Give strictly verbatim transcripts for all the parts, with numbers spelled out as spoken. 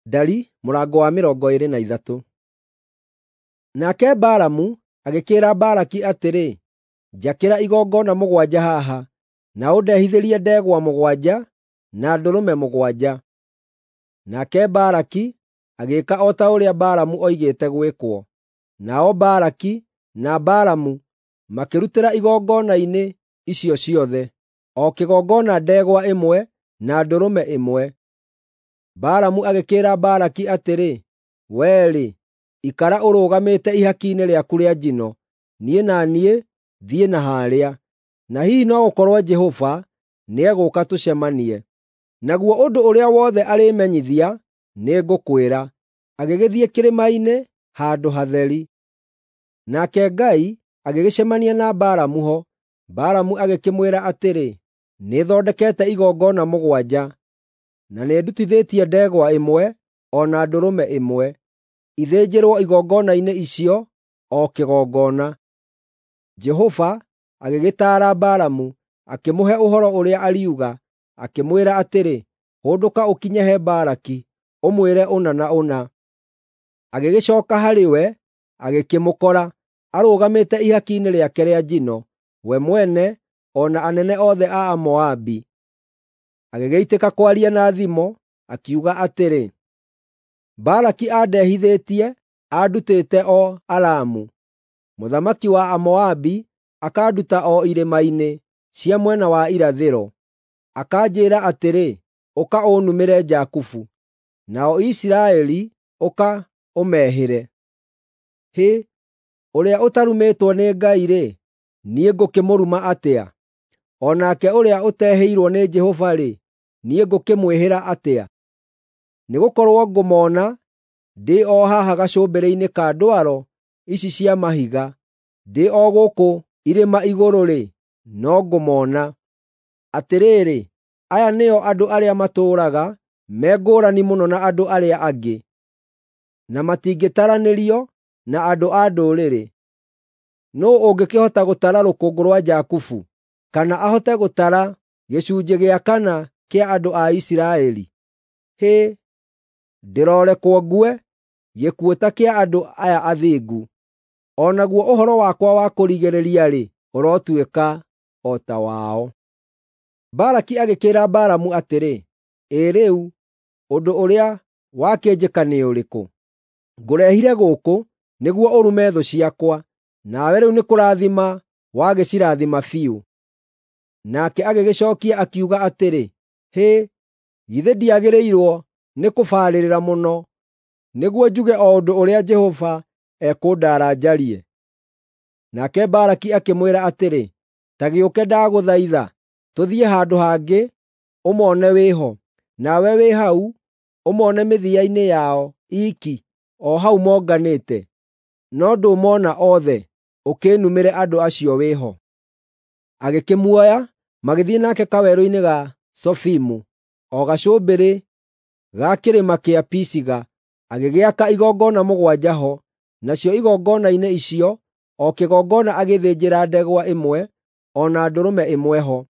Ndari mũrango wa mĩrongo ĩĩrĩ na ithatũ. Nake Balamu agĩkĩĩra Balaki atĩrĩ, “Njakĩra igongona mũgwanja haha, na ũndehithĩrie ndegwa mũgwanja na ndũrũme mũgwanja.” Nake Balaki agĩĩka o ta ũrĩa Balamu oigĩte gwĩkwo. Nao Balaki na Balamu makĩrutĩra igongona-inĩ icio ciothe, o kĩgongona ndegwa ĩmwe na ndũrũme ĩmwe. Balamu agĩkĩĩra Balaki atĩrĩ, “Wee-rĩ, ikara ũrũgamĩte ihaki-inĩ rĩaku rĩa njino, niĩ na niĩ thiĩ na harĩa, na hihi no gũkorwo Jehova nĩegũũka tũcemanie. Naguo ũndũ ũrĩa wothe arĩĩmenyithia nĩngũkwĩra.” Agĩgĩthiĩ kĩrĩma-inĩ handũ hatheri. Nake Ngai agĩgĩcemania na Balamu ho. Balamu agĩkĩmwĩra atĩrĩ, “Nĩthondekete igongona mũgwanja, na nĩndutithĩtie ndegwa ĩmwe o na ndũrũme ĩmwe, ithĩnjĩrwo igongona-inĩ icio o kĩgongona.” Jehova agĩgĩtaara Balamu, akĩmũhe ũhoro ũrĩa ariuga, akĩmwĩra atĩrĩ, “Hũndũka ũkinye he Balaki, ũmwĩre ũna na ũna.” Agĩgĩcooka harĩ we, agĩkĩmũkora arũgamĩte ihaki-inĩ rĩake rĩa njino, we mwene o na anene othe a Amoabi. Agĩgĩitĩka kwaria na thimo, akiuga atĩrĩ, “Balaki andehithĩtie andutĩte o Aramu, mũthamaki wa Amoabi akanduta o irĩma-inĩ cia mwena wa irathĩro. Akanjĩĩra atĩrĩ, ‘Ũka ũnumĩre Jakubu, nao Isiraeli ũka ũmehĩre.’ Hĩ, ũrĩa ũtarumĩtwo nĩ Ngai-rĩ, niĩ ngũkĩmũruma atĩa? O nake ũrĩa ũtehĩirwo nĩ Jehova-rĩ, niĩ ngũkĩmwĩhĩra atĩa? Nĩgũkorwo ngũmona ndĩ o haha gacũmbĩrĩ-inĩ ka ndwaro ici cia mahiga, ndĩ o gũkũ irĩma igũrũ-rĩ, no ngũmona. Atĩrĩrĩ, aya nĩo andũ arĩa matũũraga me ngũrani mũno na andũ arĩa angĩ, na matingĩtaranĩrio na andũ a ndũrĩrĩ. Nũũ ũngĩkĩhota gũtara rũkũngũ rwa Jakubu, kana ahote gũtara gĩcunjĩ gĩa kana kĩa andũ a Isiraeli? Hĩ, ndĩrorekwo ngue gĩkuũ ta kĩa andũ aya athingu! O naguo ũhoro wakwa wa kũrigĩrĩria-rĩ, ũrotuĩka o ta wao.” Balaki agĩkĩĩra Balamu atĩrĩ, “Ĩ rĩu ũndũ ũrĩa wakĩnjĩka nĩ ũrĩkũ? Ngũrehire gũkũ nĩguo ũrume thũ ciakwa, nawe rĩu nĩkũrathima wagĩcirathima biũ.” Nake agĩgĩcookia akiuga atĩrĩ, “Hĩ, githĩ ndiagĩrĩirwo nĩkũbarĩrĩra mũno nĩguo njuge o ũndũ ũrĩa Jehova ekũndaara njarie?” Nake Balaki akĩmwĩra atĩrĩ, “Ta gĩũke ndagũthaitha, tũthiĩ handũ hangĩ ũmone wĩ ho, nawe wĩ hau ũmone mĩthia-inĩ yao iiki o hau monganĩte, no ndũmona othe, ũkĩĩnumĩre andũ acio wĩ ho.” Agĩkĩmuoya, magĩthiĩ nake kawerũ-inĩ ga Zofimu, o gacũmbĩrĩ ga kĩrĩma kĩa Pisiga, agĩgĩaka igongona mũgwanja ho, nacio igongona-inĩ icio o kĩgongona agĩthĩnjĩra ndegwa ĩmwe o na ndũrũme ĩmwe ho.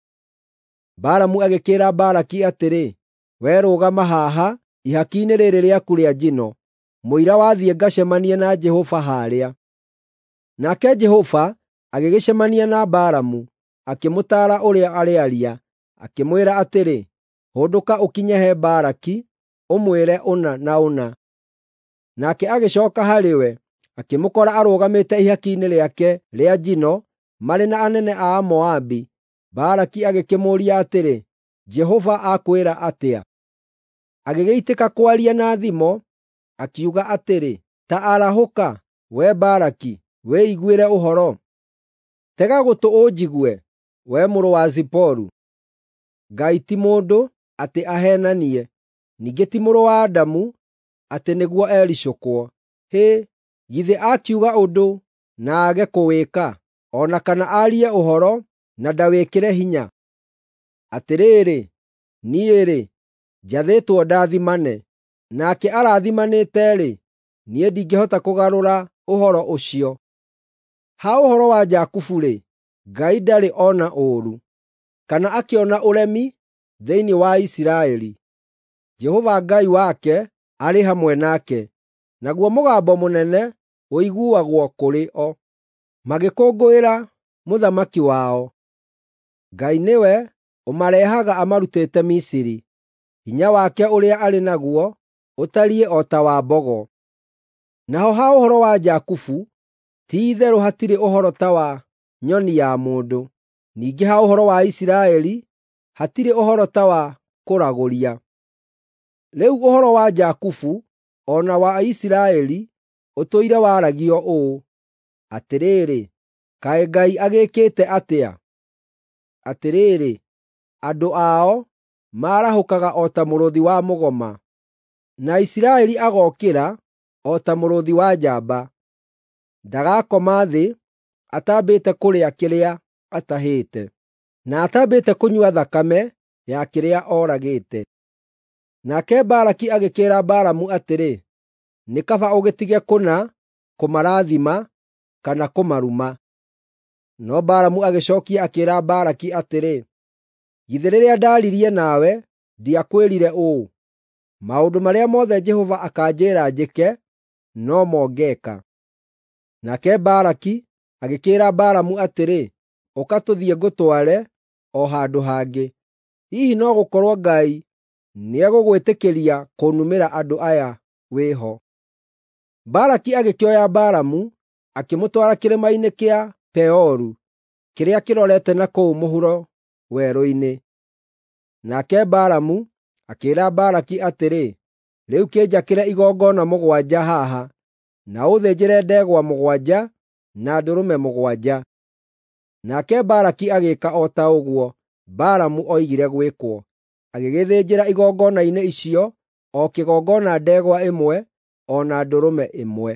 Balamu agĩkĩĩra Balaki atĩrĩ, “Wee rũgama haha ihaki-inĩ rĩĩrĩ rĩaku rĩa njino, mũira wathiĩ ngacemanie na Jehova haarĩa.” Nake Jehova agĩgĩcemania na Balamu, akĩmũtaara ũrĩa arĩaria, akĩmwĩra atĩrĩ, “Hũndũka ũkinye he Balaki, ũmwĩre ũna na ũna.” Nake agĩcooka harĩ we, akĩmũkora arũgamĩte ihaki-inĩ rĩake rĩa njino marĩ na anene a Amoabi. Balaki agĩkĩmũũria atĩrĩ, “Jehova akwĩra atĩa?” Agĩgĩitĩka kwaria na thimo, akiuga atĩrĩ, “Ta arahũka, wee Balaki, wĩiguĩre ũhoro; tega gũtũ ũnjigue, wee mũrũ wa Ziporu. Ngai ti mũndũ, atĩ aheenanie, ningĩ ti mũrũ wa Adamu, atĩ nĩguo ericũkwo. Hĩ, githĩ akiuga ũndũ na aage kũwĩka, o na kana aarie ũhoro na ndawĩkĩre hinya? Atĩrĩrĩ, niĩ-rĩ, njathĩtwo ndathimane, nake arathimanĩte-rĩ, niĩ ndingĩhota kũgarũra ũhoro ũcio. Ha ũhoro wa Jakubu-rĩ, Ngai ndarĩ ona ũũru, kana akĩona ũremi thĩinĩ wa Isiraeli. Jehova Ngai wake arĩ hamwe nake, naguo mũgambo mũnene ũiguagwo kũrĩ o, magĩkũngũĩra mũthamaki wao. Ngai nĩwe ũmarehaga amarutĩte Misiri; hinya wake ũrĩa arĩ naguo ũtariĩ o ta wa mbogo. Naho ha ũhoro wa Jakubu, ti-itherũ hatirĩ ũhoro ta wa nyoni ya mũndũ, ningĩ ha ũhoro wa Isiraeli hatirĩ ũhoro ta wa kũragũria. Rĩu ũhoro wa Jakubu o na wa Isiraeli ũtũire waragio ũũ: “Atĩrĩrĩ, kaĩ Ngai agĩĩkĩte atĩa! Atĩrĩrĩ, andũ ao maarahũkaga o ta mũrũũthi wa mũgoma, na Isiraeli agookĩra o ta mũrũũthi wa njamba. Ndagakoma thĩ atambĩte kũrĩa kĩrĩa atahĩte, na atambĩte kũnyua thakame ya kĩrĩa oragĩte.” Nake Balaki agĩkĩĩra Balamu atĩrĩ, “Nĩ kaba ũgĩtige kũna kũmarathima kana kũmaruma.” No Balamu agĩcookia akĩĩra Balaki atĩrĩ, “Githĩ rĩrĩa ndaaririe nawe ndiakwĩrire ũũ, ‘Maũndũ marĩa mothe Jehova akaanjĩĩra njĩke, no mo ngeeka’?” Nake Balaki agĩkĩĩra Balamu atĩrĩ, “Ũka tũthiĩ ngũtware o handũ hangĩ. Hihi no gũkorwo Ngai nĩegũgwĩtĩkĩria kũnumĩra andũ aya wĩ ho.” Balaki agĩkĩoya Balamu akĩmũtwara kĩrĩma-inĩ kĩa Peoru kĩrĩa kĩrorete na kũu mũhuro werũ-inĩ. Nake Balamu akĩĩra Balaki atĩrĩ, “Rĩu kĩnjakĩre igongona mũgwanja haha, na ũthĩnjĩre ndegwa mũgwanja na ndũrũme mũgwanja.” Nake Balaki agĩĩka o ta ũguo Balamu oigire gwĩkwo, agĩgĩthĩnjĩra igongona-inĩ icio o kĩgongona ndegwa ĩmwe o na ndũrũme ĩmwe.